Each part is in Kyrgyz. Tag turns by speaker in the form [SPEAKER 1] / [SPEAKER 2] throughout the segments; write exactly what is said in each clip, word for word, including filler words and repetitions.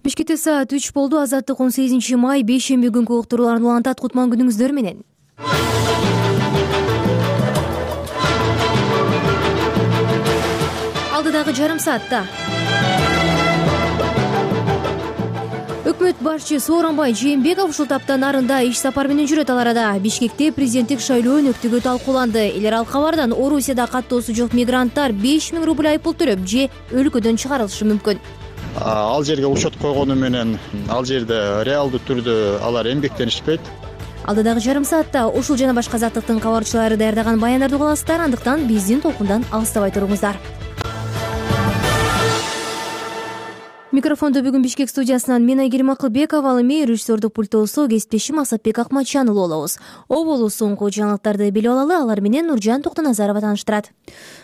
[SPEAKER 1] Бишкекте саат үч болду. Азаттык он сегизинчи май бейшемби күнкү уктурууларын улантат. Кутман күнүңүздөр менен. Алдыдагы жарым саатта өкмөт башчы Сооронбай Жээнбеков ушул таптан нарында иш сапар менен жүрөт. Ал арада Бишкекте президенттик шайлоо өнөктүгү талкууланды. Элер ал кабардан Орусияда каттоосу жок мигранттар беш миң рубль айыппул төлөп же өлкөдөн чыгарылышы мүмкүн.
[SPEAKER 2] Ал жерге учет койгону менен ал жерде реалдуу түрдө алар эмгектенишпейт.
[SPEAKER 1] Алдыдагы жарым саатта ушул жана башка заттыктын кабарчылары даярдаган баяндарды угасыздар. Андыктан биздин толкундан алыстабай туруңуздар. Микрофондо бүгүн Бишкек студиясынан мен Айгерим Акылбекова, ал эми режиссердук пультосу кесиптешим Асатбек Акматжанұлы болобуз. Оболу соңку жаңылыктарды билип алалы, алар менен Нуржан Токтоназарова тааныштырат.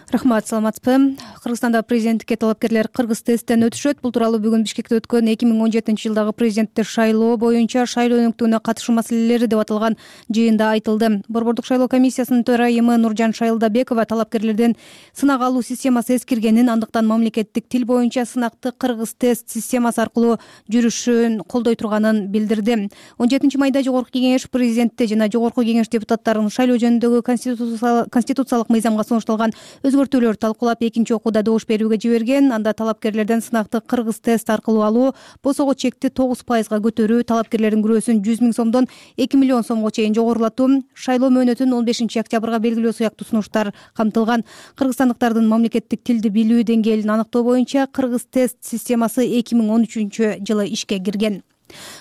[SPEAKER 3] Рахмат, саламатсызбы? Кыргызстанда президенттикке талапкерлер кыргыз тесттен өтүшөт. Бул тууралуу бүгүн Бишкекте өткөн эки миң он жетинчи жылдагы президенттик шайлоо боюнча шайлоо өнөктүгүнө катышуу маселелери деп аталган жыйында айтылды. Борбордук шайлоо комиссиясынын төрайымы Нуржан Шайылдабекова талапкерлерден сынак алуу системасы эскиргенин, андыктан мамлекеттик тил боюнча сынакты кыргыз тест системасы аркылуу жүрүшүн колдой турганын билдирди. он жетинчи майда Жогорку кеңеш президентте жана Жогорку кеңеш депутаттарынын шайлоо жөнүндөгү конституциялык мыйзамга сунушталган өзгөртүүлөр талкуулап экинчи окууда добуш берүүгө жиберген. Анда талапкерлерден сынакты кыргыз тест аркылуу алуу, босого чекти тогуз пайызга көтөрүү, талапкерлердин күрөөсүн жүз миң сомдон эки миллион сомго чейин жогорулатуу, шайлоо мөөнөтүн он бешинчи октябрга белгилөө сыяктуу сунуштар камтылган. Кыргызстандыктардын мамлекеттик тилди билүү деңгээлин аныктоо боюнча кыргыз тест системасы эки миң он үчүнчү жылы ишке кирген.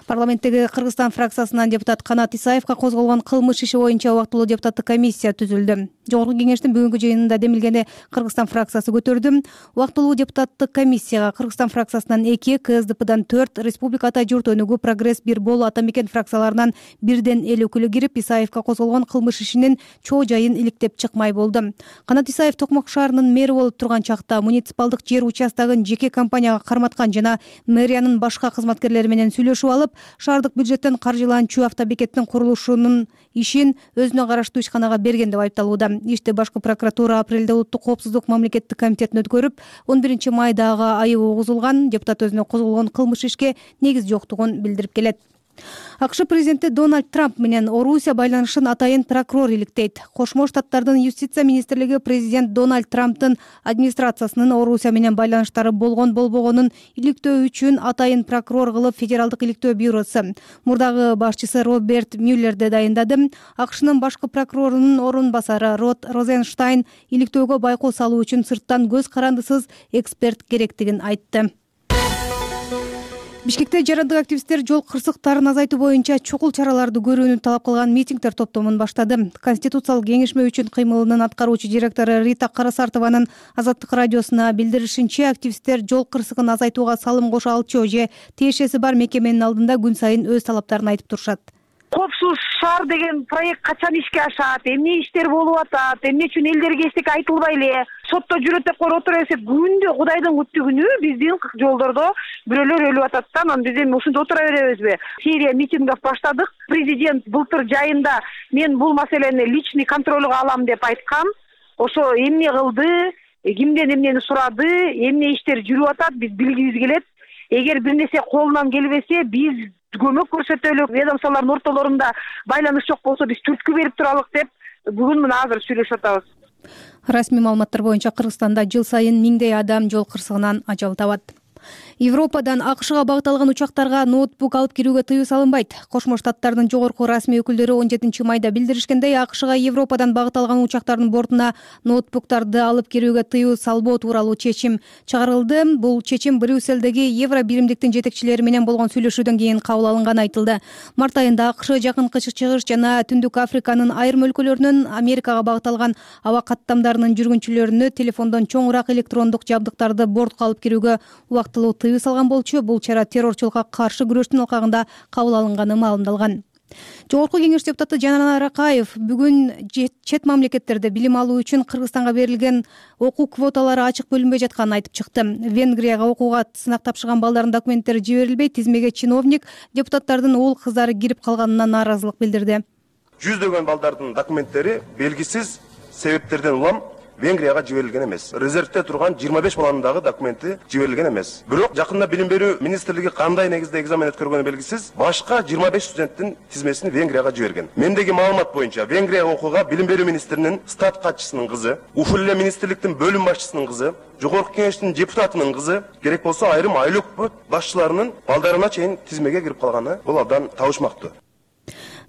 [SPEAKER 3] Парламенттеги Кыргызстан фракциясынан депутат Канат Исаевка козголгон кылмыш иши боюнча убактылуу депутаттык комиссия түзүлдү. Жогорку кеңештин бүгүнкү жыйынында демилгени Кыргызстан фракциясы көтөрдү. Убактылуу депутаттык комиссияга Кыргызстан фракциясынан эки, КСДПдан төрт, Республиката журт өнүгүү, Прогресс, Бир Бол, Ата Мекен фракцияларынан бирден эл өкүлү кирип, Исаевка козголгон кылмыш ишинин чоо жайын иликтеп чыкмай болду. Канат Исаев Токмок шаарынын мэри болуп турган чакта муниципалдык жер участогун жеке компанияга карматкан жана мэриянын башка кызматкерлери менен сүйлөшүп алып, шаардык бюджеттен каржыланчу автобекеттин курулушунун ишин өзүнө караштуу ишканага берген деп айыпталууда. Ишти башкы прокуратура апрелде Улуттук коопсуздук мамлекеттик комитетине өткөрүп, он биринчи майдагы айып угузулган. Депутат өзүнө козголгон кылмыш ишке негиз жоктугун билдирип келет. АКШ президенти Дональд Трамп менен Орусия байланышын атайын прокурор иликтейт. Кошмо Штаттардын юстиция министрлиги президент Дональд Трамптын администрациясынын Орусия менен байланыштары болгон болбогонун иликтөө үчүн атайын прокурор кылып Федералдык иликтөө бюросу мурдагы башчысы Роберт Мюллерди дайындады. АКШнын башкы прокурорунун орун басары Род Розенштайн иликтөөгө байкоо салуу үчүн сырттан көз карандысыз эксперт керектигин айтты. Бишкекте жарандык активисттер жол кырсыктарын азайтуу боюнча чокул чараларды көрүүнү талап кылган митингдер топтомун баштады. Конституциялык кеңешме үчүн кыймылынын аткаруучу директору Рита Карасартованын Азаттык радиосуна билдиришинче, активисттер жол кырсыгын азайтууга салым кошо алчу же тиешеси бар мекеменин алдында күн сайын өз талаптарын айтып турушат.
[SPEAKER 4] Коопсуз шаар деген проект качан ишке ашат, эмне иштер болуп атат, эмне үчүн элдерге эчтеке айтылбай эле сотто жүрөт деп коюп отура берсек, күндө Кудайдын күттүгүнү биздин жолдордо бирөөлөр өлүп атат да, анан биз эми ушунда отура беребизби? Серия митингов баштадык. Президент былтыр жайында мен бул маселени личный контролго алам деп айткан. Ошо эмне кылды, кимден эмнени сурады, эмне иштер жүрүп атат, биз билгибиз келет. Эгер бир нерсе колунан келбесе, биз көмөк көрсөтөлү, ведомстволордун ортолорунда байланыш жок болсо биз түрткү берип туралык деп бүгүн мына азыр сүйлөшүп атабыз.
[SPEAKER 3] Расмий маалыматтар боюнча Кыргызстанда жыл сайын миңдей адам жол кырсыгынан ажал табат. Европадан АКШга багытталган учактарга ноутбук алып кирүүгө тыюу салынбайт. Кошмо Штаттардын жогорку расмий өкүлдөрү он жетинчи майда билдиришкендей, АКШга Европадан багытталган учактардын бортуна ноутбуктарды алып кирүүгө тыюу салбоо тууралуу чечим чыгарылды. Бул чечим Брюсселдеги Евро биримдиктин жетекчилери менен болгон сүйлөшүүдөн кийин кабыл алынганы айтылды. Март айында АКШ Жакынкы Чыгыш жана Түндүк Африканын айрым өлкөлөрүнөн Америкага багытталган аба каттамдарынын жүргүнчүлөрүнө телефондон чоңураак электрондук жабдыктарды бортко алып кирүүгө убактылуу тыюу салган болчу. Бул чара террорчулукка каршы күрөштүн алкагында кабыл алынганы маалымдалган. Жогорку кеңеш депутаты Жанар Аракаев бүгүн чет мамлекеттерде билим алуу үчүн Кыргызстанга берилген окуу квоталары ачык бөлүнбөй жатканын айтып чыкты. Венгрияга окууга сынак тапшырган балдардын документтери жиберилбей, тизмеге чиновник депутаттардын уул кыздары кирип калганына нааразылык билдирди.
[SPEAKER 5] Жүздөгөн балдардын документтери белгисиз себептерден улам Венгрияга жиберилген эмес. Резервде турган жыйырма беш баланын дагы документи жиберилген эмес. Бирок жакында билим берүү министрлиги кандай негизде экзамен өткөргөнү белгисиз, башка жыйырма беш студенттин тизмесин Венгрияга жиберген. Мендеги маалымат боюнча Венгрияга окууга билим берүү министринин стат катчысынын кызы, ушул эле министрликтин бөлүм башчысынын кызы, Жогорку кеңештин депутатынын кызы, керек болсо айрым айлык башчыларынын балдарына чейин тизмеге кирип калганы бул абдан табышмактуу.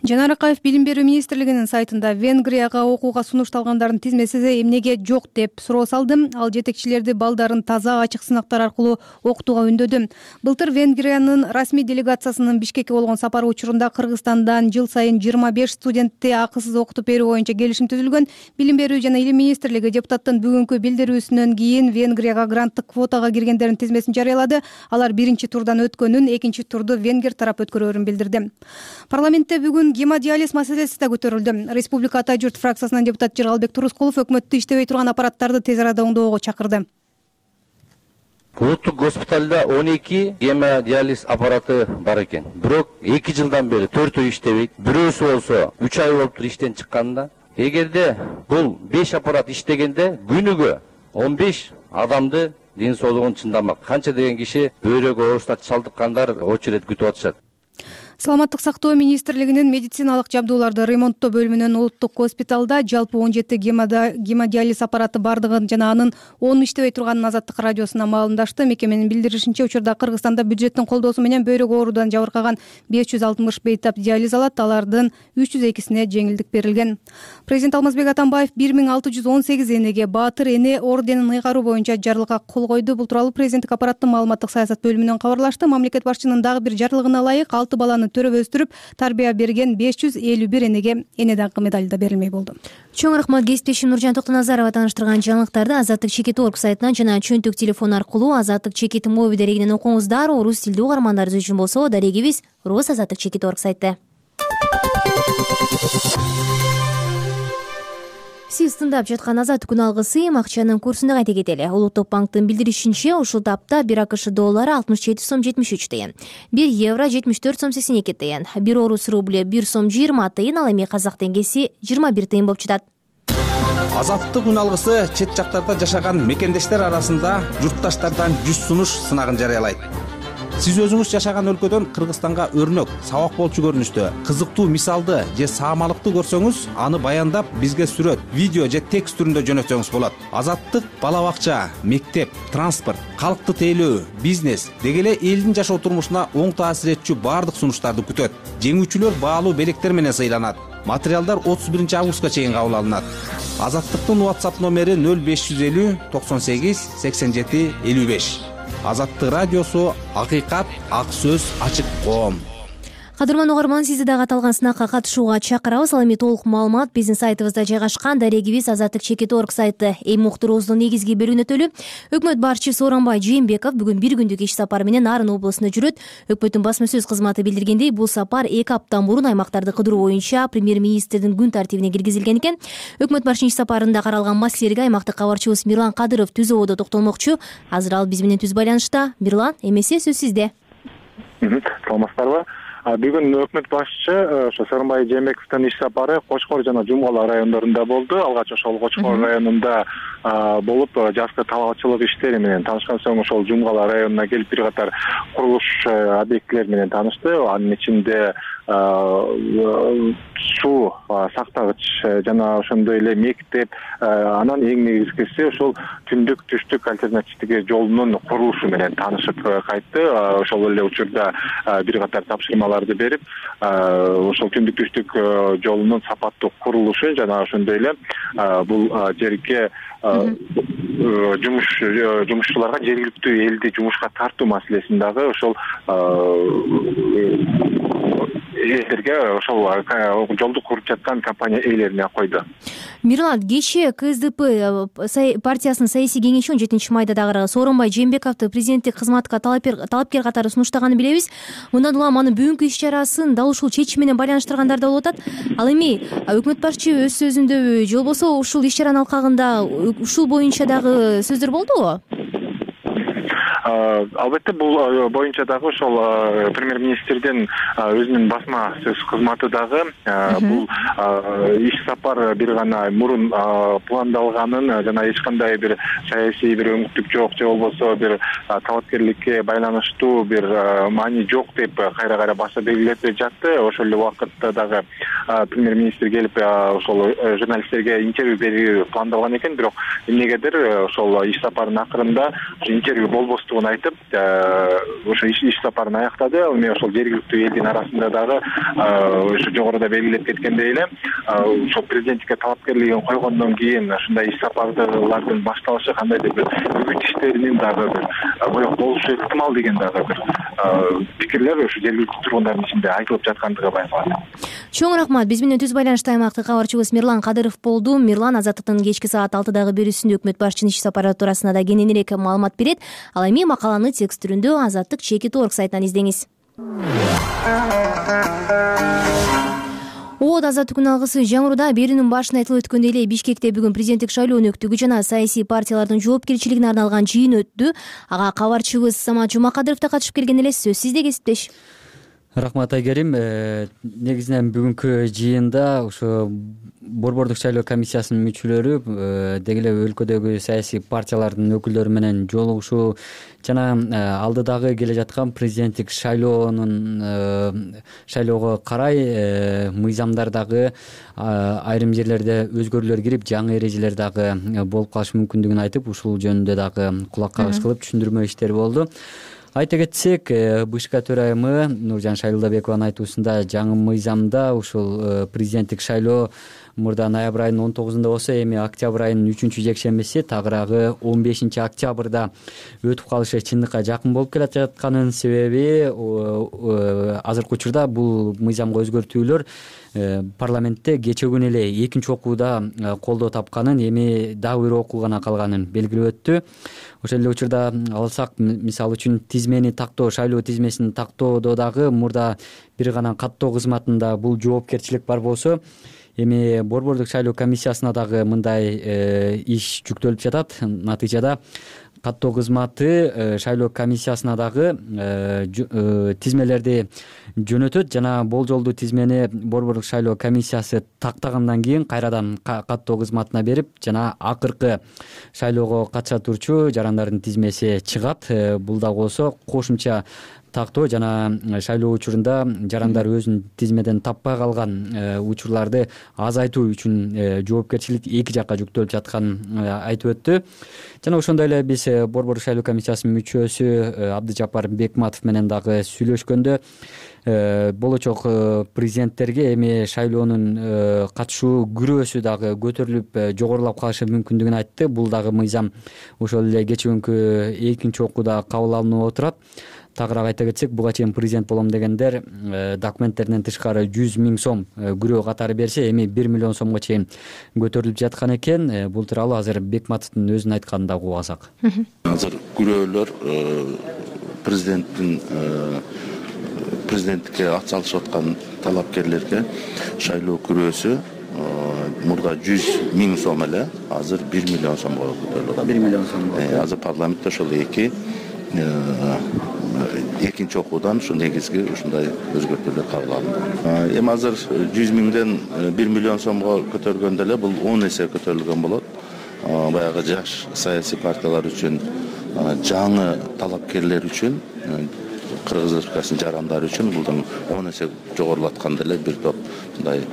[SPEAKER 3] Жанар Акаев билим берүү министрлигинин сайтында Венгрияга окууга сунушталгандардын тизмеси эмнеге жок деп суроо салды. Ал жетекчилерди балдарын таза, ачык сынактар аркылуу окутууга үндөдү. Былтыр Венгриянын расмий делегациясынын Бишкекке болгон сапары учурунда Кыргызстандан жыл сайын жыйырма беш студентти акысыз окутуп берүү боюнча келишим түзүлгөн. Билим берүү жана илим министрлиги депутаттын бүгүнкү билдирүүсүнөн кийин Венгрияга гранттык квотага киргендердин тизмесин жарыялады. Алар биринчи турдан өткөнүн, экинчи турду венгер тарап өткөрөрүн билдирди. Парламентте бүгүн гемодиализ маселеси да көтөрүлдү. Республика Ата журт фракциясынан депутат Жыргалбек Турускулов өкмөттү иштебей турган аппараттарды тез арада оңдоого чакырды.
[SPEAKER 6] Улуттук госпиталда он эки гемодиализ аппараты бар экен. Бирок эки жылдан бери төртөө иштебейт. Бирөөсү болсо үч ай болуптур иштен чыкканында. Эгерде бул беш аппарат иштегенде күнүгө он беш адамды ден соолугун чындамак. Канча деген киши бөйрөк оорусуна чалдыккандар очередь күтүп атышат.
[SPEAKER 3] Саламаттык сактоо министрлигинин медициналык жабдууларды ремонттоо бөлүмүнүн улуттук госпиталда жалпы он жети гемодиализ аппараты бардыгын жана анын он иштебей турганын Азаттык радиосуна маалымдашты. Мекеменин билдиришинче, учурда Кыргызстанда бюджеттин колдоосу менен бөйрөк оорудан жабыркаган беш жүз алтымыш бейтап диализ алат. Алардын үч жүз экисине жеңилдик берилген. Президент Алмазбек Атамбаев бир миң алты жүз он сегиз энеге Баатыр эне орденин ыйгаруу боюнча жарлыкка кол койду. Бул тууралуу президенттик аппараттын маалыматтык саясат бөлүмүнөн кабарлашты. Мамлекет башчынын дагы бир жарлыгына ылайык алты баланы төрөп өстүрүп тарбия берген беш жүз элүү бир энеге эне даңкы медали да берилмей болду.
[SPEAKER 1] Чоң рахмат кесиптешим Нуржан Токтоназарова таныштырган жаңылыктарды Азаттык чекит орг сайтынан жана чөнтөк телефон аркылуу Азаттык чекит моби дарегинен окуңуздар. Орус тилдүү угармандарыбыз үчүн болсо дарегибиз Рус Азаттык чекит орг сайты. Сиз тыңдап жаткан Азаттык күн алгысы акчанын курсун да кайта кетели. Улуттук банктын билдиришинче, ушул тапта бир АКШ доллары алтымыш жети сом жетимиш үч тыйын, бир евро жетимиш төрт сом сексен эки тыйын, бир орус рубль бир сом жыйырма тыйын, ал эми казак теңгеси жыйырма бир тыйын болуп жатат.
[SPEAKER 7] Азаттык күн алгысы чет жактарда жашаган мекендештер арасында журтташтардан жүз сунуш сынагын жарыялайт. Сиз өзүңүз жашаган өлкөдөн Кыргызстанга өрнөк, сабак болчу көрүнүштө, кызыктуу мисалды же саамалыкты көрсөңүз, аны баяндап бизге сүрөт, видео же текст түрүндө жөнөтсөңүз болот. Азаттык бала бакча, мектеп, транспорт, калкты тейлөө, бизнес деги эле элдин жашоо турмушуна оң таасир этчү баардык сунуштарды күтөт. Жеңүүчүлөр баалуу белектер менен сыйланат. Материалдар отуз биринчи августка чейин кабыл алынат. Азаттыктын WhatsApp номери нөл беш жүз элүү токсон сегиз сексен жети элүү беш. Азаттык радиосу, акыйкат, ак сөз, ачык коом.
[SPEAKER 1] Кадырман угарман, сизди дагы аталган сынакка катышууга чакырабыз. Ал эми толук маалымат биздин сайтыбызда жайгашкан. Дарегибиз Азаттык чекит орг сайты. Эми уктуруубуздун негизги бөлүгүнө өкмөт башчысы Сооронбай Жээнбеков бүгүн бир күндүк иш сапары менен Нарын облусуна жүрөт. Өкмөттүн басма сөз кызматы билдиргендей, бул сапар эки аптадан мурун аймактарды кыдыруу боюнча премьер-министрдин күн тартибине киргизилген экен. Өкмөт башчынын иш сапарында каралган маселелерге аймактык кабарчыбыз Мирлан Кадыров түз ободо токтолмокчу. Азыр ал биз менен түз байланышта. Мирлан, эмесе сөз сизде.
[SPEAKER 8] Саламатсыздарбы? Бүгүн өкмөт башчы ошо Сооронбай Жээнбековдун иш сапары Кочкор жана Жумгала райондорунда болду. Алгач ошол Кочкор районунда болуп, жазгы талаачылык иштери менен танышкан соң ошол Жумгала районуна келип бир катар курулуш объектилери менен таанышты. Анын ичинде суу сактагыч жана ошондой эле мектеп, анан эң негизгиси ошол түндүк түштүк альтернативдеги жолунун курулушу менен таанышып кайтты. Ошол эле учурда бир катар тапшырмаларды берип, ошол түндүк түштүк жолунун сапаттуу курулушу жана ошондой эле бул жерге жумуш жумушчуларга жергиликтүү элди жумушка тартуу маселесин дагы ошол элдерге ошол жолду куруп жаткан компания ээлерине койду.
[SPEAKER 1] Мирлан, кечээ КСДП партиясынын саясий кеңеши он жетинчи майда дагы Сооронбай Жээнбековду президенттик кызматка талапкер катары сунуштаганын билебиз. Мындан улам анын бүгүнкү иш чарасын дал ушул чечим менен байланыштыргандар да болуп атат. Ал эми өкмөт башчы өз сөзүндө же болбосо ушул иш чаранын алкагында ушул боюнча дагы сөздөр болдубу?
[SPEAKER 8] албетте бул боюнча дагы ошол премьер-министрдин өзүнүн басма сөз кызматы дагы бул иш сапар бир гана мурун пландалганын жана эч кандай бир саясий бир өңүттүк жок же болбосо бир талапкерликке байланыштуу бир маани жок деп кайра кайра баса белгилеп жатты. Ошол эле убакытта дагы премьер-министр келип ошол журналисттерге интервью берүү пландалган экен, бирок эмнегедир ошол иш сапарынын акырында интервью болбостугун айтып ошо иш сапарын аяктады. Эми ошол жергиликтүү элдин арасында дагы ошо жогоруда белгилеп кеткендей эле ошол президенттикке талапкерлигин койгондон кийин ушундай иш сапарлардын башталышы кандайдыр бир үгүт иштеринин дагы бир боек болушу ыктымал деген дагы бир пикирлер ошо жергиликтүү тургундардын ичинде айтылып жаткандыгы байкалат.
[SPEAKER 1] Чоң рахмат. Биз менен түз байланышта аймактык кабарчыбыз Мирлан Кадыров болду. Мирлан Азаттыктын кечки саат алтыдагы берүүсүндө өкмөт башчынын иш сапары туурасында да кененирээк маалымат берет. Ал эми макаланы текст түрүндө Азаттык чекит орг сайтынан издеңиз. Оот азаттык күн алгысы жаңыруда берүүнүн башында айтылып өткөндөй эле Бишкекте бүгүн президенттик шайлоонун өктүгү жана саясий партиялардын жоопкерчилигине арналган жыйын өттү. Ага кабарчыбыз Самат Жумакадыров да катышып келген эле. Сөз сизде, кесиптеш.
[SPEAKER 9] Рахмат Айгерим. Негизинен бүгүнкү жыйында ошо Борбордук шайлоо комиссиясынын мүчөлөрү деги эле өлкөдөгү саясий партиялардын өкүлдөрү менен жолугушуу жана алдыдагы келе жаткан президенттик шайлоонун шайлоого карай мыйзамдардагы айрым жерлерде өзгөрүүлөр кирип, жаңы эрежелер дагы болуп калышы мүмкүндүгүн айтып, ушул жөнүндө дагы кулак кагыш кылып түшүндүрмө иштери болду. Айта кетсек, БШК төрайымы Нуржан Шайлдабекованын айтуусунда жаңы мыйзамда ушул президенттик шайлоо мурда ноябрь айынын он тогузунда болсо, эми октябрь айынын үчүнчү жекшембиси, тагыраагы он бешинчи октябрда өтүп калышы чындыкка жакын болуп келе жатканын себеби азыркы учурда бул мыйзамга өзгөртүүлөр парламентте кечээ күнү эле экинчи окууда колдоо тапканын, эми дагы бир окуу гана калганын белгилеп өттү. Ошол эле учурда алсак, мисалы үчүн тизмени тактоо, шайлоо тизмесин тактоодо дагы мурда бир гана каттоо кызматында бул жоопкерчилик бар болсо, эми Борбордук шайлоо комиссиясына дагы мындай иш жүктөлүп жатат. Натыйжада каттоо кызматы шайлоо комиссиясына дагы тизмелерди жөнөтөт жана болжолдуу тизмени Борбордук шайлоо комиссиясы тактагандан кийин кайрадан каттоо кызматына берип, жана акыркы шайлоого катыша турчу жарандардын тизмеси чыгат. Бул дагы болсо кошумча тактоо жана шайлоо учурунда жарандар өзүнүн тизмеден таппай калган учурларды азайтуу үчүн жоопкерчилик эки жакка жүктөлүп жатканын айтып өттү. Жана ошондой эле биз Борбордук шайлоо комиссиясынын мүчөсү Абдыжапар Бекматов менен дагы сүйлөшкөндө болочок президенттерге эми шайлоонун катышуу күрөөсү дагы көтөрүлүп жогорулап калышы мүмкүндүгүн айтты. Бул дагы мыйзам ошол эле кечээ күнкү экинчи окууда кабыл алынып отурат. Тагыраак айта кетсек, буга чейин президент болом дегендер документтеринен тышкары жүз миң сом күрөө катары берсе, эми бир миллион сомго чейин көтөрүлүп жаткан экен. Бул тууралуу азыр Бекматовдун өзүнүн айтканын дагы угуп алсак.
[SPEAKER 10] Азыр күрөөлөр президенттин президенттикке ат салышып аткан талапкерлерге шайлоо күрөөсү мурда жүз миң сом эле, азыр бир миллион сомго көтөрүлүп атат. бир миллион сомго. Азыр парламентте ошол эки экинчи окуудан ушу негизги ушундай өзгөртүүлөр кабыл алынды. Эми азыр жүз миңден бир миллион сомго көтөргөндө эле бул он эсе көтөрүлгөн болот. Баягы жаш саясий партиялар үчүн, жаңы талапкерлер үчүн, Кыргыз Республикасынын жарандары үчүн булдан он эсе жогорулатканда эле бир топ мындай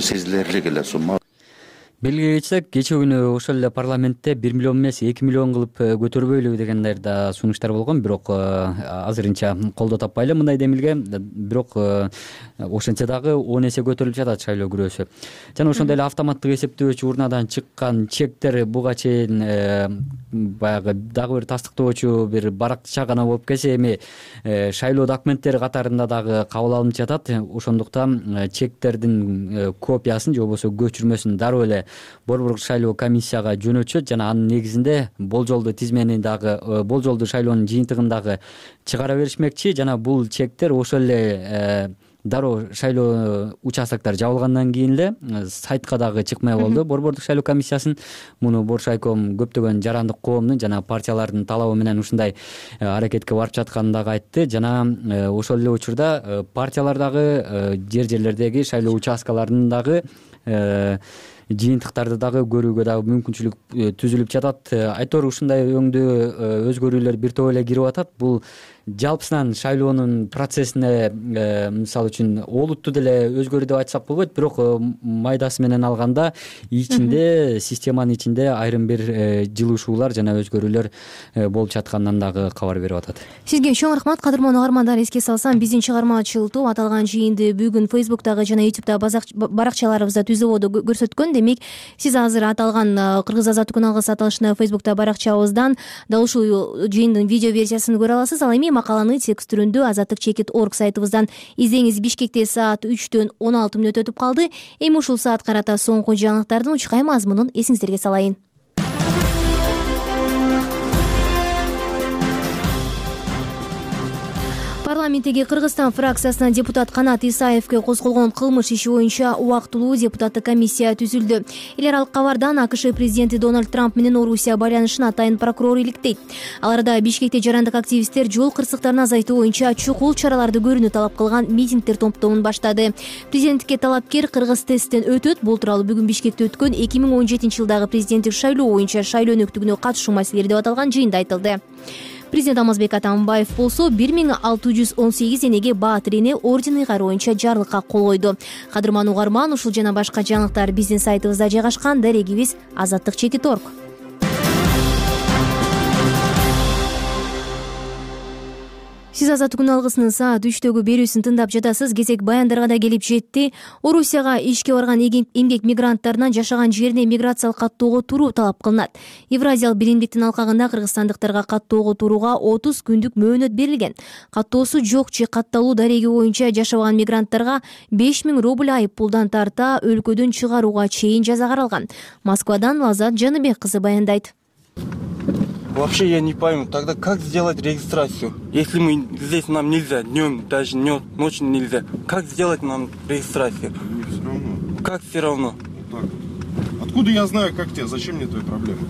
[SPEAKER 10] сезилерлик эле сумма.
[SPEAKER 9] Белгилей кетсек, кечээ күнү ошол эле парламентте бир миллион эмес эки миллион кылып көтөрбөйлү дегендер да сунуштар болгон, бирок азырынча колдоо таппай эле мындай демилге. Бирок ошентсе дагы он эсе көтөрүлүп жатат шайлоо күрөөсү. Жана ошондой эле автоматтык эсептөөчү урнадан чыккан чектер буга чейин баягы дагы бир тастыктоочу бир баракча гана болуп келсе, эми шайлоо документтери катарында дагы кабыл алынып жатат. Ошондуктан чектердин копиясын же болбосо көчүрмөсүн дароо эле Борбордук шайлоо комиссияга жөнөтүшөт жана анын негизинде болжолдуу тизмени дагы, болжолдуу шайлоонун жыйынтыгын дагы чыгара беришмекчи. Жана бул чектер ошол эле дароо шайлоо участоктор жабылгандан кийин эле сайтка дагы чыкмай болду борбордук шайлоо комиссиясынын. Муну Боршайком көптөгөн жарандык коомдун жана партиялардын талабы менен ушундай аракетке барып жатканын дагы айтты. Жана ошол эле учурда партиялар дагы жер жерлердеги шайлоо участкаларынын дагы жыйынтыктарды дагы көрүүгө дагы мүмкүнчүлүк түзүлүп жатат. Айтор ушундай өңдүү өзгөрүүлөр бир топ эле кирип атат. Бул жалпысынан шайлоонун процессине мисалы үчүн олуттуу деле өзгөрүү деп айтсак болбойт, бирок майдасы менен алганда ичинде системанын ичинде айрым бир жылышуулар жана өзгөрүүлөр болуп жатканынан дагы кабар берип атат.
[SPEAKER 1] Сизге чоң рахмат, кадырман угармандар. Эске салсам, биздин чыгармачыл топ аталган жыйынды бүгүн Facebook'тагы жана YouTube'да баракчаларыбызда түзүүбодо көрсөткөн. Демек, сиз азыр аталган Кыргыз азаттык күн алгысы аталышында Facebook'та баракчабыздан дал ушул жыйындын видео версиясын көрө аласыз. Ал эми макаланы текст түрүндө азаттык чекит точка орг сайтыбыздан издеңиз. Бишкекте саат үчтөн он алты мүнөт өтүп калды. Эми ушул саат карата соңку жаңылыктардын учкай мазмунун эсиңиздерге салайын. Парламенттеги Кыргызстан фракциясынан депутат Канат Исаевке козголгон кылмыш иши боюнча убактылуу депутаттык комиссия түзүлдү. Эл аралык кабардан АКШ президенти Дональд Трамп менен Орусия байланышын атайын прокурор иликтейт. Ал арада Бишкекте жарандык активисттер жол кырсыктарын азайтуу боюнча чукул чараларды көрүүнү талап кылган митингдер топтомун баштады. Президенттикке талапкер кыргыз тесттен өтөт. Бул тууралуу бүгүн Бишкекте өткөн эки миң он жетинчи жылдагы президенттик шайлоо боюнча шайлоо өнөктүгүнө катышуу маселелери деп аталган жыйында айтылды. Президент Алмазбек Атамбаев болсо бир миң алты жүз он сегиз энеге Баатыр эне ордени кайруу боюнча жарлыкка кол койду. Кадырман угарман, ушул жана башка жаңылыктар биздин сайтыбызда жайгашкан. Дарегибиз азаттык чекит точка орг. Сиз азаттык күн алгысынын саат үчтөгү берүүсүн тыңдап жатасыз. Кезек баяндарга да келип жетти. Орусияга ишке барган эмгек мигранттарынан жашаган жерине миграциялык каттоого туруу талап кылынат. Евразиялык биримдиктин алкагында кыргызстандыктарга каттоого турууга отуз күндүк мөөнөт берилген. Каттоосу жок же катталуу дареги боюнча жашабаган мигранттарга беш миң рубль айып пулдан тарта өлкөдөн чыгарууга чейин жаза каралган. Москвадан Лазат Жаныбек кызы баяндайт.
[SPEAKER 11] Вообще я не пойму, тогда как сделать регистрацию? Если мы здесь нам нельзя, днем даже ночью нельзя, как сделать нам регистрацию?
[SPEAKER 5] Мне все равно.
[SPEAKER 11] Как все равно?
[SPEAKER 5] Так. Откуда я знаю, как тебе? Зачем мне твои проблемы?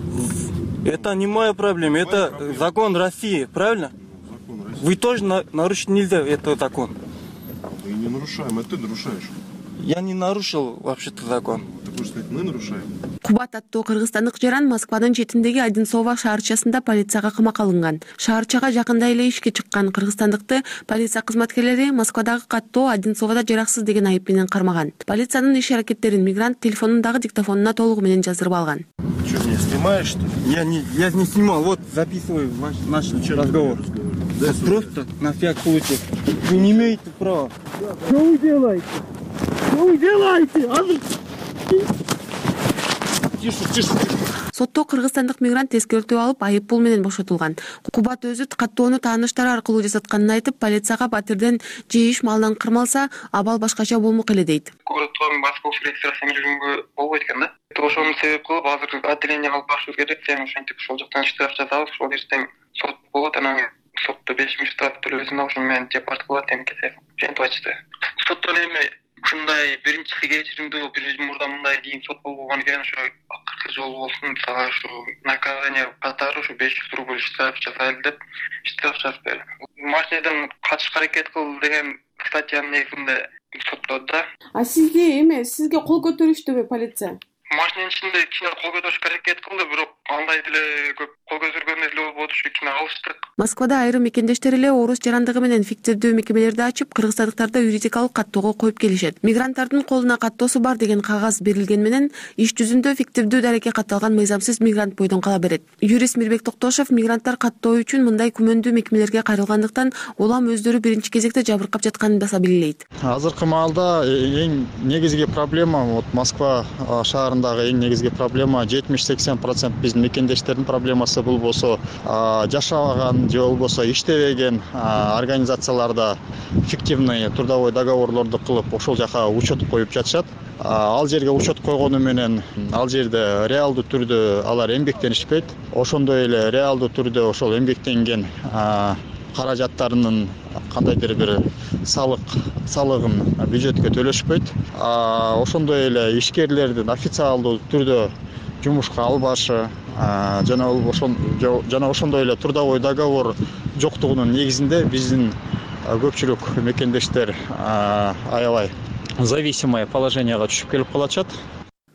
[SPEAKER 11] Это не моя проблема, моя это проблема. Закон России, правильно?
[SPEAKER 5] Закон России.
[SPEAKER 11] Вы тоже на, нарушить нельзя этот закон.
[SPEAKER 5] Мы не нарушаем, это ты нарушаешь.
[SPEAKER 11] Я не нарушил вообще-то закон.
[SPEAKER 5] Ты хочешь сказать, мы нарушаем?
[SPEAKER 12] Кубат аттуу кыргызстандык жаран Москванын четиндеги Одинцово шаарчасында полицияга камакка алынган. Шаарчага жакында эле ишке чыккан кыргызстандыкты полиция кызматкерлери Москвадагы каттоо Одинцоводо жараксыз деген айып менен кармаган. Полициянын иш аракеттерин мигрант телефонундагы диктофонуна толугу менен жаздырып алган.
[SPEAKER 5] Ты что, меня снимаешь, что ли?
[SPEAKER 11] Я не, я не снимал, вот записываю ваш, наш разговор.
[SPEAKER 5] Да,
[SPEAKER 11] просто на всякий случай. Вы не имеете права. Что вы делаете? Что вы делаете?
[SPEAKER 5] Тише, тише, тише.
[SPEAKER 12] Сотто кыргызстандык мигрант эскертүү алып айып пул менен бошотулган. Кубат өзү каттоону тааныштары аркылуу жасатканын айтып, полицияга Батырден же иш малынан кырмалса, абал башкача болмок эле дейт.
[SPEAKER 13] Городтон Москва регистрацияны жүргөнгө болбойт экен да. Ошону себеп кылып азыр отделениеге алып барышыбыз керек. Сен ошентип ошол жактан штраф жазабыз, ошол ертең сот болот, анан сотто беш миң штраф төлөбөсүн, ошону менен депорт кылат эмкесе. Ошентип айтышты. Соттон эми ушундай биринчиси кечиримдүү, бир жыл мурда мындай кийин сот болбогон экен, ошо акыркы жолу болсун, сага ушу наказание катары ушу беш жүз рубль штраф жасайлы деп штраф жазып берди. Машинадан качышка аракет кыл деген статьянын негизинде соттоду да.
[SPEAKER 14] А сизге эме, сизге кол көтөрүштүбү полиция?
[SPEAKER 13] Машинанын ичинде кичине кол көтөрүшкө аракет кылды, бирок андай деле көп кол көтөргөндөй эле болбоду, ушу кичине алыштык.
[SPEAKER 12] Москвада айрым мекендештер эле орус жарандыгы менен фиктивдүү мекемелерди ачып, кыргызстандыктарды юридикалык каттоого коюп келишет. Мигранттардын колуна каттоосу бар деген кагаз берилген менен иш жүзүндө фиктивдүү дарекке катталган мыйзамсыз мигрант бойдон кала берет. Юрист Мирбек Токтошов мигранттар каттоо үчүн мындай күмөндүү мекемелерге кайрылгандыктан улам өздөрү биринчи кезекте жабыркап жатканын баса билелейт.
[SPEAKER 2] Азыркы маалда эң негизги проблема вот Москва шаарындагы эң негизги проблема жетимиш сексен процент биздин мекендештердин проблемасы. Бул болсо жашабаган же болбосо иштебеген организацияларда фиктивный трудовой договорлорду кылып ошол жака учет коюп жатышат. Ал жерге учет койгону менен ал жерде реалдуу түрдө алар эмгектенишпейт. Ошондой эле реалдуу түрдө ошол эмгектенген каражаттарынын кандайдыр бир салык салыгын бюджетке төлөшпөйт. Ошондой эле ишкерлердин официалдуу түрдө жумушка албашы жана жана ошондой эле трудовой договор жоктугунун негизинде биздин көпчүлүк мекендештер аябай зависимое положенияга түшүп келип калышат.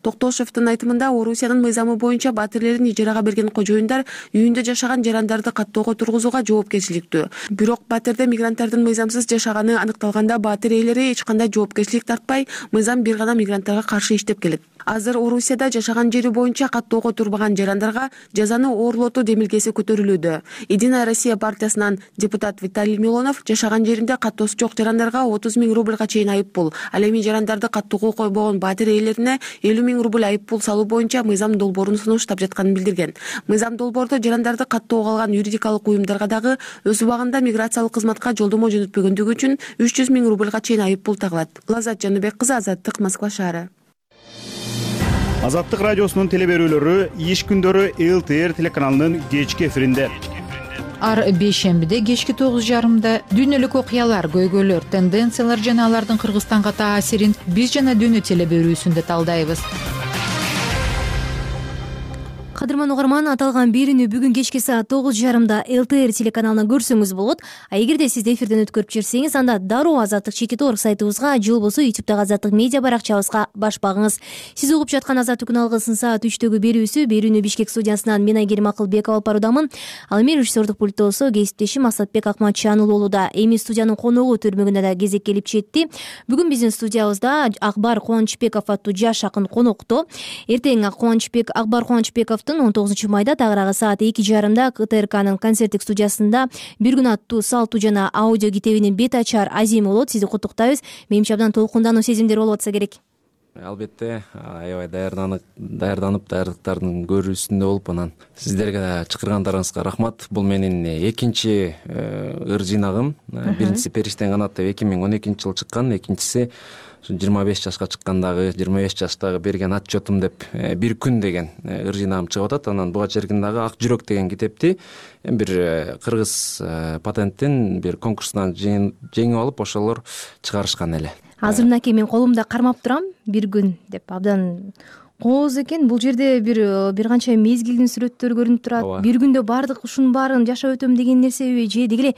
[SPEAKER 12] Токтошевдун айтымында Орусиянын мыйзамы боюнча батирлерин ижарага берген кожоюндар үйүндө жашаган жарандарды каттоого тургузууга жоопкерчиликтүү. Бирок батирде мигранттардын мыйзамсыз жашаганы аныкталганда батир ээлери эч кандай жоопкерчилик тартпай, мыйзам бир гана мигранттарга каршы иштеп келет. Азыр Орусияда жашаган жери боюнча каттоого турбаган жарандарга жазаны оорлотуу демилгеси көтөрүлүүдө. Единая Россия партиясынан депутат Виталий Милонов жашаган жеринде каттоосу жок жарандарга отуз миң рубльга чейин айып пул, ал эми жарандарды каттоого койбогон батир ээлерине элүү миң рубль айып пул салуу боюнча мыйзам долбоорун сунуштап жатканын билдирген. Мыйзам долбоордо жарандарды каттоого алган юридикалык уюмдарга дагы өз убагында миграциялык кызматка жолдомо жөнөтпөгөндүгү үчүн үч жүз миң рубльга чейин айып пул тагылат. Лазат Жаныбек кызы, Азаттык, Москва шаары.
[SPEAKER 15] Азаттык радиосунун телеберүүлөрү иш күндөрү эл тэ эр телеканалынын кечки эфиринде.
[SPEAKER 16] Ар бейшембиде кечки тогуз жарымда дүйнөлүк окуялар, көйгөйлөр, тенденциялар жана алардын Кыргызстанга таасирин биз жана дүйнө телеберүүсүндө талдайбыз.
[SPEAKER 1] Кадырман угарман, аталган берүүнү бүгүн кечки саат тогуз жарымда эл тэ эр телеканалынан көрсөңүз болот. А эгерде сиз эфирден өткөрүп жиберсеңиз, анда дароо Азаттык чекит орг сайтыбызга же болбосо ютубтагы Азаттык медиа баракчабызга баш багыңыз. Сиз угуп жаткан Азаттык күн алгысын саат үчтөгү берүүсү. Берүүнү Бишкек студиясынан мен Айгерим Акылбекова алып баруудамын. Ал эми режиссердук пульттосу кесиптешим Асатбек Акматчанул болууда. Эми студиянын коногу төрмөгүнө да кезек келип жетти. Бүгүн биздин студиябызда Акбар Кубанычбеков аттуу жаш акын конокто. Эртең Кубанычбек Акбар Кубанычбеков он тогузунчу майда тагыраагы саат эки жарымда ка тэ эр канын концерттик студиясында бир күн аттуу салтуу жана аудио китебинин бет ачар азими болот. Сизди куттуктайбыз. Менимче абдан толкундануу сезимдер болуп атса керек.
[SPEAKER 17] Албетте, аябай даярданып, даярданып, даярдыктардын көрүүсүндө болуп, анан сиздерге да чакыргандарыңызга рахмат. Бул менин экинчи ыр жыйнагым. Биринчиси Периштең канат деп эки миң он экинчи жылы чыккан, экинчиси жыйырма беш жашка чыккандагы, жыйырма беш жаштагы берген отчетум деп бир күн деген ыр жыйнагым чыгып атат. Анан буга чейин дагы Ак жүрөк деген китепти бир кыргыз патенттин бир конкурсунан жеңип алып, ошолор чыгарышкан эле.
[SPEAKER 1] Азыр мынакей мен колумда кармап турам, бир күн деп абдан кооз экен. Бул жерде бир бир канча мезгилдин сүрөттөрү көрүнүп турат. Бир күндө бардык ушунун баарын жашап өтөм деген нерсеби же деги эле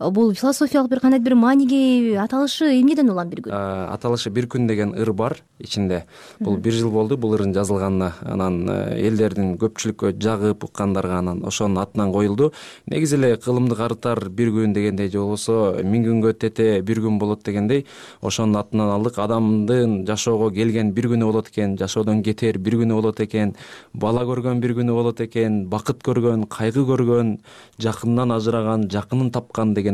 [SPEAKER 1] бул философиялык бир кандайдыр бир мааниге аталышы эмнеден улам бир күн?
[SPEAKER 17] Аталышы бир күн деген ыр бар ичинде. Бул бир жыл болду бул ырдын жазылганына. Анан элдердин көпчүлүккө жагып уккандарга анан ошонун атынан коюлду. Негизи эле кылымды карытар бир күн дегендей же болбосо миң күнгө тете бир күн болот дегендей ошонун атынан алдык. Адамдын жашоого келген бир күнү болот экен, жашоодон кетер бир күнү болот экен, бала көргөн бир күнү болот экен, бакыт көргөн, кайгы көргөн, жакынынан ажыраган, жакынын тапкан деген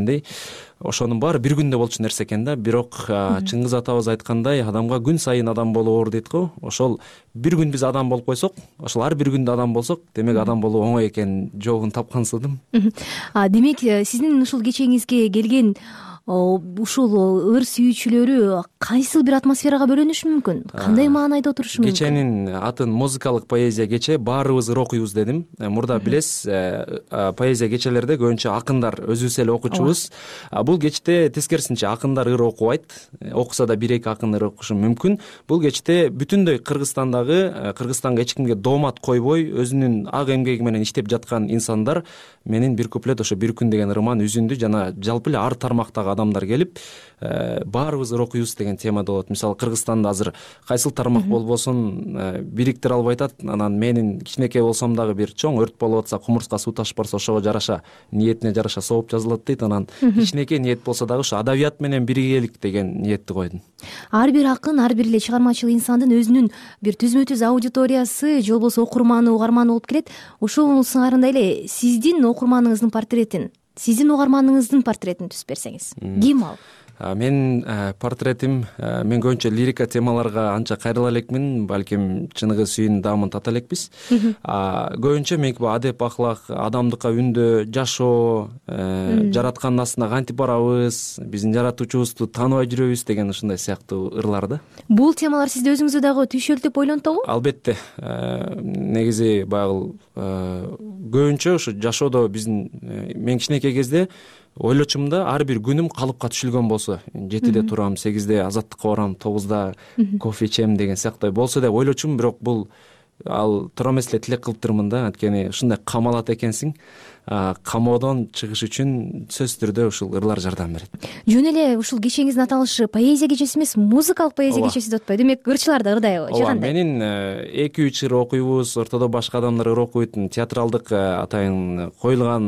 [SPEAKER 17] ошонун баары бир күндө болчу нерсе экен да. Бирок Чыңгыз атабыз айткандай, адамга күн сайын адам болуу оор дейт го. Ошол бир күн биз адам болуп койсок, ошол ар бир күндө адам болсок, демек адам болуу оңой экен, жоогун тапкансыдым.
[SPEAKER 1] Демек сиздин ушул кечеңизге келген ушул ыр сүйүүчүлөрү кайсыл бир атмосферага бөлөнүшү мүмкүн? Кандай маанайда отурушу мүмкүн?
[SPEAKER 17] Кеченин атын музыкалык поэзия кече, баарыбыз ыр окуйбуз дедим. Мурда билесиз, поэзия кечелерде көбүнчө акындар өзүбүз эле окучубуз. Бул кечте тескерисинче акындар ыр окубайт. Окуса да бир эки акын ыр окушу мүмкүн. Бул кечте бүтүндөй Кыргызстандагы, Кыргызстанга эч кимге доомат койбой, өзүнүн ак эмгеги менен иштеп жаткан инсандар менин бир куплет ошо бир күн деген ырман үзүндү жана жалпы эле ар тармактагы адамдар келип, баарыбыз ыр окуйбуз деген темада болот. Мисалы Кыргызстанда азыр кайсыл тармак болбосун бириктире албай атат. Анан менин кичинекей болсом дагы бир чоң өрт болуп атса, кумурска суу ташып барса, ошого жараша, ниетине жараша сооп жазылат дейт. Анан кичинекей ниет болсо дагы ушу адабият менен биргелик деген ниетти койдум.
[SPEAKER 1] Ар бир акын, ар бир эле чыгармачыл инсандын өзүнүн бир түзмө-түз аудиториясы же болбосо окурманы, угарманы болуп келет. Ошол сыңарында эле сиздин окурманыңыздын портретин, сиздин угарманыңыздын портретин түзүп берсеңиз, ким ал?
[SPEAKER 17] Мен портретим, мен көбүнчө лирика темаларга анча кайрыла элекмин, балким чыныгы сүйүүнүн даамын тата элекпиз. Көбүнчө меники бул адеп ахлак, адамдыкка үндөө, жашоо, жараткандын астына кантип барабыз, биздин жаратуучубузду тааныбай жүрөбүз деген ушундай сыяктуу ырлар да.
[SPEAKER 1] Бул темалар сизди өзүңүздү дагы түйшөлтүп ойлонтобу?
[SPEAKER 17] Албетте. Негизи баягы көбүнчө ушу жашоодо биздин мен кичинекей кезде ойлочумун да ар бир күнүм калыпка түшүлгөн болсо, жетиде турам, сегизде азаттыкка барам, тогузда кофе ичем деген сыяктуу болсо деп ойлочумун. Бирок бул ал туура эмес эле тилек кылыптырмын да, анткени ушундай камалат экенсиң. Камоодон чыгыш үчүн сөзсүз түрдө ушул ырлар жардам берет.
[SPEAKER 1] Жөн эле ушул кечеңиздин аталышы поэзия кечеси эмес, музыкалык поэзия кечеси деп атпайбы? Демек ырчылар да ырдайбы же кандай?
[SPEAKER 17] Менин эки үч ыр окуйбуз, ортодо башка адамдар ыр окуйт, театралдык атайын коюлган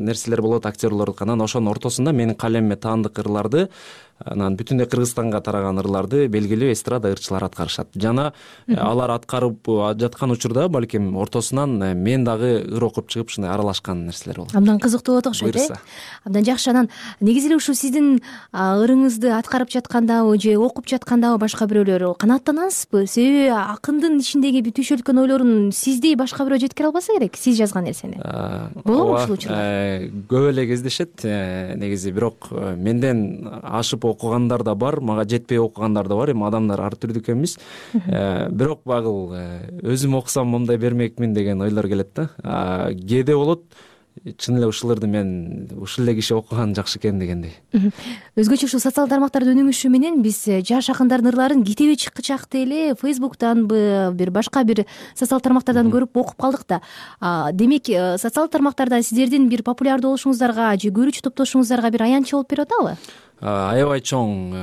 [SPEAKER 17] нерселер болот, актерлордук. Анан ошонун ортосунда менин калемиме таандык ырларды, анан бүтүндөй Кыргызстанга тараган ырларды белгилүү эстрада ырчылар аткарышат. Жана алар аткарып жаткан учурда балким ортосунан мен дагы ыр окуп чыгып ушундай аралашкан нерселер болот.
[SPEAKER 1] Абдан кызыктуу болот окшойт, э? Абдан жакшы. Анан негизи эле ушул сиздин ырыңызды аткарып жаткандабы же окуп жаткандабы башка бирөөлөр канааттанасызбы? Себеби акындын ичиндеги түйшөлткөн ойлорун сиздей башка бирөө жеткире албаса керек, сиз жазган нерсени. Болобу ушул учурлар?
[SPEAKER 17] Көп эле кездешет негизи, бирок менден ашып окугандар да бар, мага жетпей окугандар да бар. Эми адамдар ар түрдүү экенбиз. Бирок багыл өзүм окусам мындай бермекмин деген ойлор келет да. Кээде болот, чын эле ушуларды мен ушул эле киши окуган жакшы экен дегендей.
[SPEAKER 1] Өзгөчө ушул социалдык тармактардын өнүгүшү менен биз жаш акындардын ырларын китеби чыкчакты эле Facebook'танбы, бир башка бир социалдык тармактардан көрүп окуп калдык да. Демек, социалдык тармактарда сиздердин бир популярдуу болушуңуздарга же көрүүчү топтошуңуздарга бир аянтчы болуп берип атабы?
[SPEAKER 17] Аябай чоң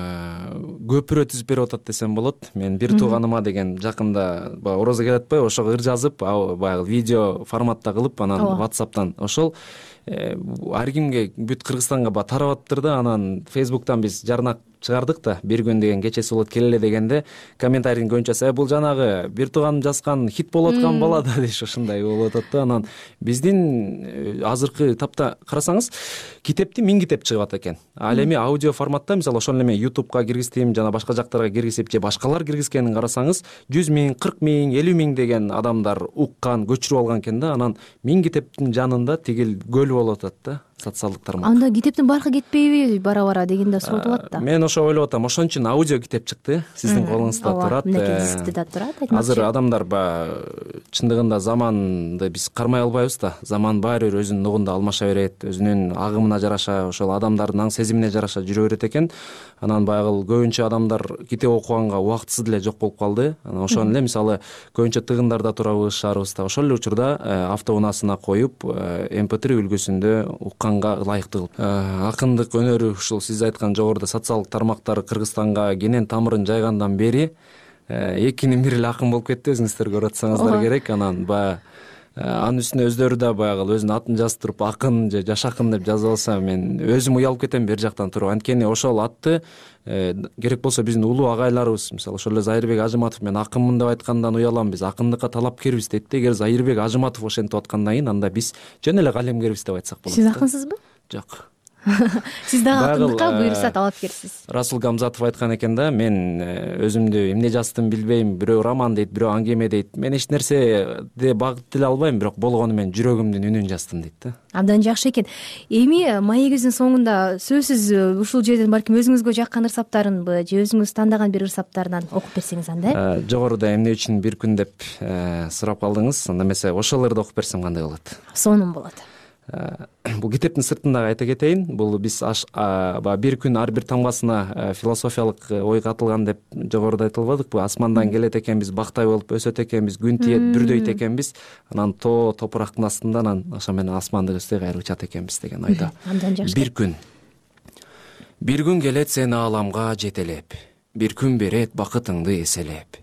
[SPEAKER 17] көпүрө түзүп берип атат десем болот. Мен бир тууганыма деген жакында баягы орозо келип атпайбы, ошого ыр жазып, баягы видео форматта кылып, анан WhatsApp'тан ошол ар кимге бүт Кыргызстанга ба тарап атыптыр да. Анан Facebook'тан биз жарнак чыгардык да, бир күн деген кечеси болот келеле дегенде комментарийин көбүнчөсү бул жанагы бир тууган жазган хит болуп аткан бала да дейш, ошондой болуп атат да. Анан биздин азыркы тапта карасаңыз китепти миң китеп чыгып атат экен. Ал эми аудио форматта, мисалы ошол эме YouTube'га киргиздим, жана башка жактарга киргизип же башкалар киргизгенин карасаңыз жүз миң, кырк миң, элүү миң деген адамдар уккан, көчүрүп алган экен да. Анан миң китептин жанында тигил көл болуп атат да. Социалдык тармак.
[SPEAKER 1] Анда китептин баркы кетпейби бара-бара деген да суроо болот да.
[SPEAKER 17] Мен ошо ойлоп атам, ошон үчүн аудио китеп чыкты, сиздин колуңузда турат.
[SPEAKER 1] Мынакей да турат.
[SPEAKER 17] Азыр адамдар баягы чындыгында заманды биз кармай албайбыз да. Заман баары бир өзүнүн нугунда алмаша берет, өзүнүн агымына жараша, ошол адамдардын аң сезимине жараша жүрө берет экен. Анан баягы көбүнчө адамдар китеп окуганга убактысы деле жок болуп калды. Анан ошон эле мисалы көбүнчө тыгындарда турабыз, шаарыбызда. Ошол эле учурда автоунаасына коюп эм пэ три үлгүсүндө укканга ылайыктуу кылып. Акындык өнөрү ушул сиз айткан жогоруда социалдык тармактар Кыргызстанга кенен тамырын жайгандан бери экинин бири эле акын болуп кетти, өзүңүздөр көрүп атсаңыздар керек. Анан баягы анын үстүнө өздөрү да баягы өзүнүн атын жазып туруп акын же жаш акын деп жазып алса, мен өзүм уялып кетем бер жактан туруп. Анткени ошол атты керек болсо биздин улуу агайларыбыз, мисалы ошол эле Зайырбек Ажыматов, мен акынмын деп айткандан уялам, биз акындыкка талапкербиз дейт да. Эгер Зайырбек Ажыматов ошентип аткандан кийин анда биз жөн эле калемгербиз деп айтсак болот.
[SPEAKER 1] Сиз акынсызбы?
[SPEAKER 17] Жок.
[SPEAKER 1] Сиз дагы акындыкка буюрса талапкерсиз.
[SPEAKER 17] Расул Гамзатов айткан экен да, мен өзүмдү эмне жаздым билбейм, бирөө роман дейт, бирөө аңгеме дейт. Мен эч нерседе багыт деле албайм, бирок болгону мен жүрөгүмдүн үнүн жаздым дейт да.
[SPEAKER 1] Абдан жакшы экен. Эми маегибиздин соңунда сөзсүз ушул жерден балким өзүңүзгө жаккан ыр саптарынбы же өзүңүз тандаган бир ыр саптарынан окуп берсеңиз анда.
[SPEAKER 17] Жогоруда эмне үчүн бир күн деп сурап калдыңыз. Анда эмесе ошол ырды окуп берсем кандай болот?
[SPEAKER 1] Сонун болот.
[SPEAKER 17] Бул китептин сыртындагы айта кетейин. Бул биз баягы бир күн ар бир тамгасына философиялык ой катылган деп жогоруда айтылбадыкпы? Асмандан келет экенбиз, бактай болуп өсөт экенбиз, күн тиет, бүрдөйт экенбиз. Анан тоо топурактын астында анан ошо менен асманды көздөй кайра учат экенбиз деген ойдо. Бир күн. Бир күн келет сени ааламга жетелеп, бир күн берет бакытыңды эселеп.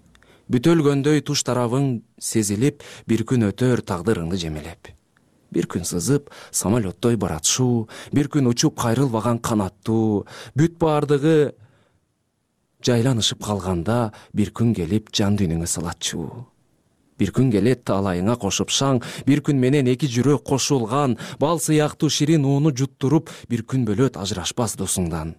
[SPEAKER 17] Бүтөлгөндөй туш тарабың сезилип, бир күн өтөр тагдырыңды жемелеп. Бир күн сызып, самолеттой баратшуу, бир күн учуп кайрылбаган канаттуу, бүт баардыгы жайланышып калганда, бир күн келип жан дүйнөңө салатчу. Бир күн келет таалайыңа кошуп шаң, бир күн менен эки жүрөк кошулган, бал сыяктуу ширин ууну жуттуруп, бир күн бөлөт ажырашпас досуңдан.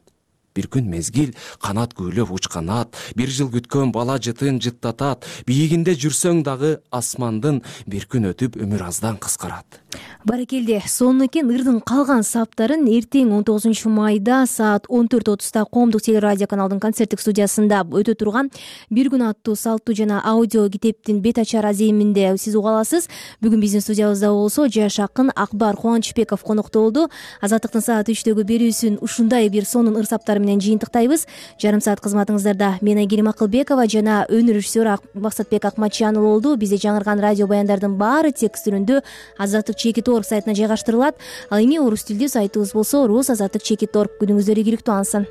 [SPEAKER 17] бир күн мезгил канат күйлөп учканат, бир жыл күткөн бала жытын жыттатат, бийигинде жүрсөң дагы асмандын, бир күн өтүп өмүр аздан кыскарат.
[SPEAKER 1] Баракелде, сонун экен. Ырдын калган саптарын эртең он тогузунчу майда саат он төрт отузда Коомдук телерадио каналдын концерттик студиясында өтө турган бир күн аттуу салттуу жана аудио китептин бет ачар аземинде сиз уга аласыз. Бүгүн биздин студиябызда болсо жаш акын Акбар Кубанычбеков конокто болду. Азаттыктын саат үчтөгү берүүсүн ушундай бир сонун ыр саптар менен жыйынтыктайбыз. Жарым саат кызматыңыздарда мен Айгерим Акылбекова жана өнөр режиссеру Максатбек Акматжанов болду. Бизде жаңырган радио баяндардын баары текст түрүндө азаттык чекит орг сайтына жайгаштырылат. Ал эми орус тилдүү сайтыбыз болсо рус азаттык чекит орг. Күнүңүздөр ийгиликтүү алсын.